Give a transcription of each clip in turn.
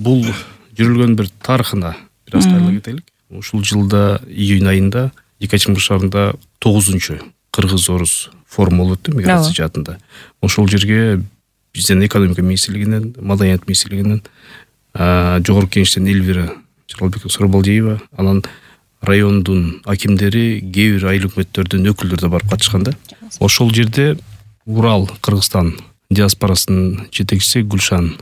бул жүрүлгөн бир тарыхына бир аз кайрыла кетелик. Ушул жылда июнь айында Екатеринбург шаарында 9-чу кыргыз-орус форуму болуп өттү миграция жаатында. Ошол жерге биздин экономика министрлигинен, маданият министрлигинен, жогорку кеңештен Эльвира Сарыбалдиева, анан райондун акимдери, кээ бир айыл өкмөттөрдүн өкүлдөрү да барып катышканда, ошол жерде Урал, Кыргызстан диаспорасынын жетекчиси Гүлшан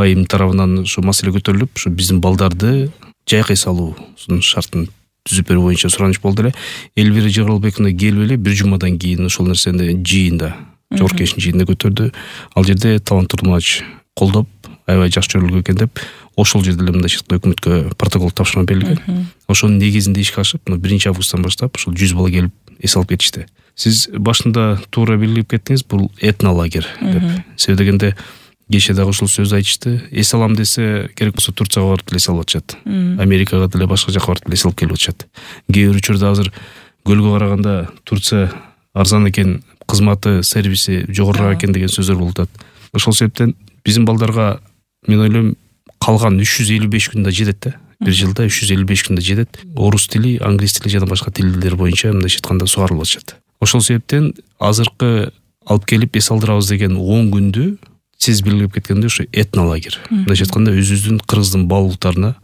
айым тарабынан ушу маселе көтөрүлүп, ушу биздин балдарды жайкай салуусунун шартын түзүп берүү боюнча сураныч болду эле. Эльвира Жыгарылбековна келип эле бир жумадан кийин ошол нерсени жыйында, жогорку кеңештин жыйында көтөрдү. Ал жерде Талант Турмач колдоп, аябай жакшы чөйрөлгөн экен деп, ошол жерде эле мындай өкмөткө протокол тапшырма берилген. Ошонун негизинде ишке ашып, 1 августтан баштап ушул 100 бала келип эс алып кетишти. Сиз башында туура белгилеп кеттиңиз, бул этнолагерь деп. Себеби дегенде кечээ дагы ушул сөздү айтышты. Эс алам десе, керек болсо Турцияга барып эс алып атышат. Америкага деле башка жака барып эс алып келип атышат. Кээ бир учурда азыр көлгө караганда Турция арзан экен, кызматы, сервиси жогорураак экен деген сөздөр болуп атат. Ошол себептен биздин балдарга мен ойлойм калган 355 күндө жетет да. Бир жылда 355 күндө жетет. Орус тили, англис тили жана башка тилдер боюнча мындай айтканда сугарылып атышат. Ошол себептен азыркы алып келип эс алдырабыз деген 10 күндү сиз белгилеп кеткендей ушу этнолагерь. Мындай айтканда өзүбүздүн кыргыздын баалуулуктарына,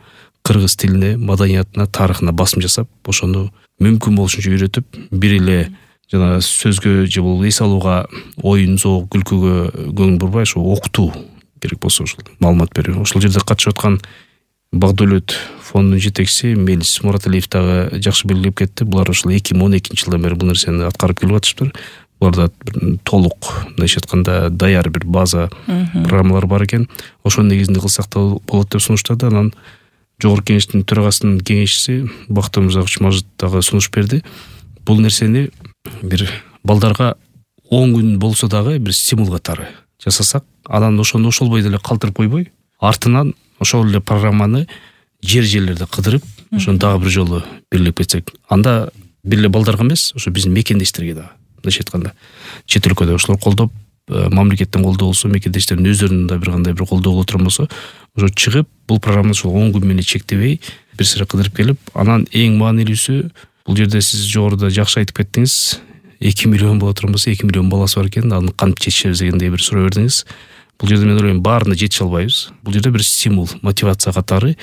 кыргыз тилине, маданиятына, тарыхына басым жасап, ошону мүмкүн болушунча үйрөтүп, бир эле жана сөзгө же болбосо эс алууга, оюн, зоок, күлкүгө көңүл бурбай, ошо окутуу керек болсо ушул маалымат берүү. Ошол жерде катышып аткан Багдөлөт фондунун жетекчиси Мелис Мураталиев дагы жакшы белгилеп кетти. Булар ушул 2012-жылдан бери бул нерсени аткарып келип атышыптыр. Буларда толук, мындай айтканда, даяр бир база программалар бар экен. Ошонун негизинде кылсак да болот деп сунуштады. Анан жогорку кеңештин төрагасынын кеңешчиси Бактыр Мырзакович Мажит дагы сунуш берди. Бул нерсени бир балдарга 10 күн болсо дагы бир стимул катары жасасак, анан ошону ошол бойдо эле калтырып койбой, артынан ошол эле программаны жерлерде кыдырып, ошону дагы бир жолу белгилеп кетсек, анда бир эле балдарга эмес, ошо биздин мекендештерге дагы, мындайча айтканда, чет өлкөдө ошолор колдоп, мамлекеттин колдоо болсо, мекендештердин өздөрүнүн да бир кандай бир колдоо боло турган болсо, ошо чыгып, бул программаны ошол 10 күн менен чектебей, бир сыйра кыдырып келип, анан эң маанилүүсү, бул жерде сиз жогоруда жакшы айтып кеттиңиз, 2 миллион боло турган болсо, 2 миллион баласы бар экен, аны кантип жетишебиз дегендей бир суроо бердиңиз. Бул жерде мен ойлойм, баарына жетише албайбыз. Бул жерде бир стимул, мотивация катары,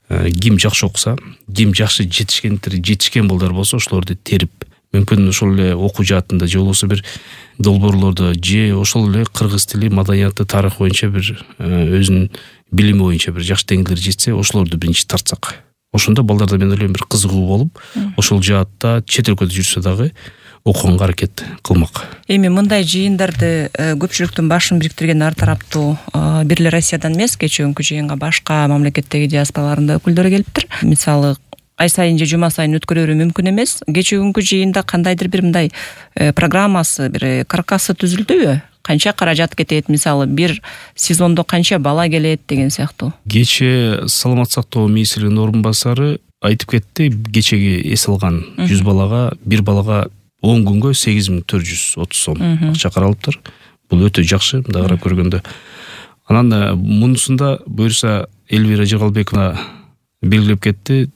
ким жакшы окуса, ким жакшы жетишкен балдар болсо, ошолорду терип, мүмкүн ошол эле окуу жаатында же болбосо бир долбоорлордо же ошол эле кыргыз тили, маданияты, тарыхы боюнча бир өзүнүн билими боюнча бир жакшы деңгээлге жетсе, ошолорду биринчи тартсак. Ошондо балдарда мен ойлойм бир кызыгуу болуп, ошол жаатта чет өлкөдө жүрсө дагы окуганга аракет кылмак. Эми мындай жыйындарды көпчүлүктүн башын бириктирген ар тараптуу бир эле Россиядан эмес, кечээкүнкү жыйынга башка мамлекеттеги диаспораларында өкүлдөрү келиптир. Мисалы, ай сайын же жума сайын өткөрө берүү мүмкүн эмес. Кечээкүнкү жыйында кандайдыр бир мындай программасы, бир каркасы түзүлдүбү? Канча каражат кетет, мисалы, бир сезондо канча бала келет деген сыяктуу. Кечээ саламат сактоо министринин орун басары айтып кетти, кечеги эс алган 100 балага, бир балага 10 күнгө 8430 сом акча каралыптыр. Бул өтө жакшы, мындай карап көргөндө. Анан мунусунда буюрса Эльвира Жыгарылбековна белгилеп кетти,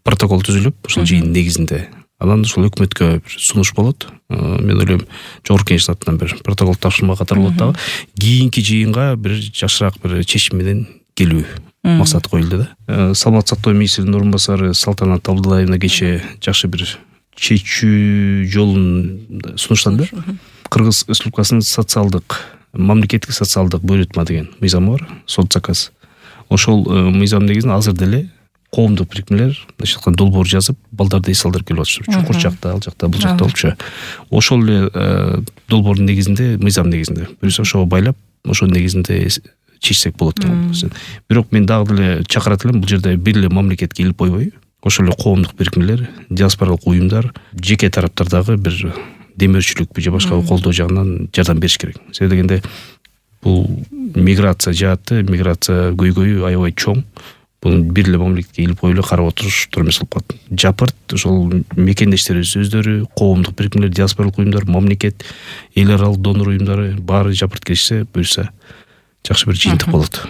протокол түзүлүп, ушул жыйын негизинде. Анан ушул өкмөткө бир сунуш болот. Мен ойлойм, жогорку кеңештин атынан бир протокол тапшырма катары болот дагы. Кийинки жыйынга бир жакшыраак бир чечим менен келүү максат коюлду да. Саламат сактоо министринин орун басары Салтанат Абдуллаевна кечээ жакшы бир чечүү жолун сунуштады. Кыргыз Республикасынын мамлекеттик социалдык бөлүтма деген мыйзамы бар, соцзаказ. Ошол мыйзам негизинде азыр деле коомдук бирикмелер, мындайча айтканда, долбоор жазып, балдарды эс алдырып келип атышат. Чукур жакта, ал жакта, бул жакта болчу. Ошол эле долбоордун негизинде, мыйзам негизинде, буюрса ошого байлап, ошол негизинде чечсек болот деген. Бирок мен дагы деле чакырат элем, бул жерде бир эле мамлекетке илип койбой, ошол эле коомдук бирикмелер, диаспоралык уюмдар, жеке тараптар дагы бир демөөрчүлүк же башка колдоо жагынан жардам бериш керек. Себеби дегенде бул миграция жааты, миграция көйгөйү аябай чоң. Бул бир эле мамлекетке илип коюп эле карап отуруштур эмес болуп калат. Жапырт ошол мекендештерибиз өздөрү, коомдук бирикмелер, диаспоралык уюмдар, мамлекет, эл аралык донор уюмдары баары жапырт келишсе, буюрса жакшы бир жыйынтык болот.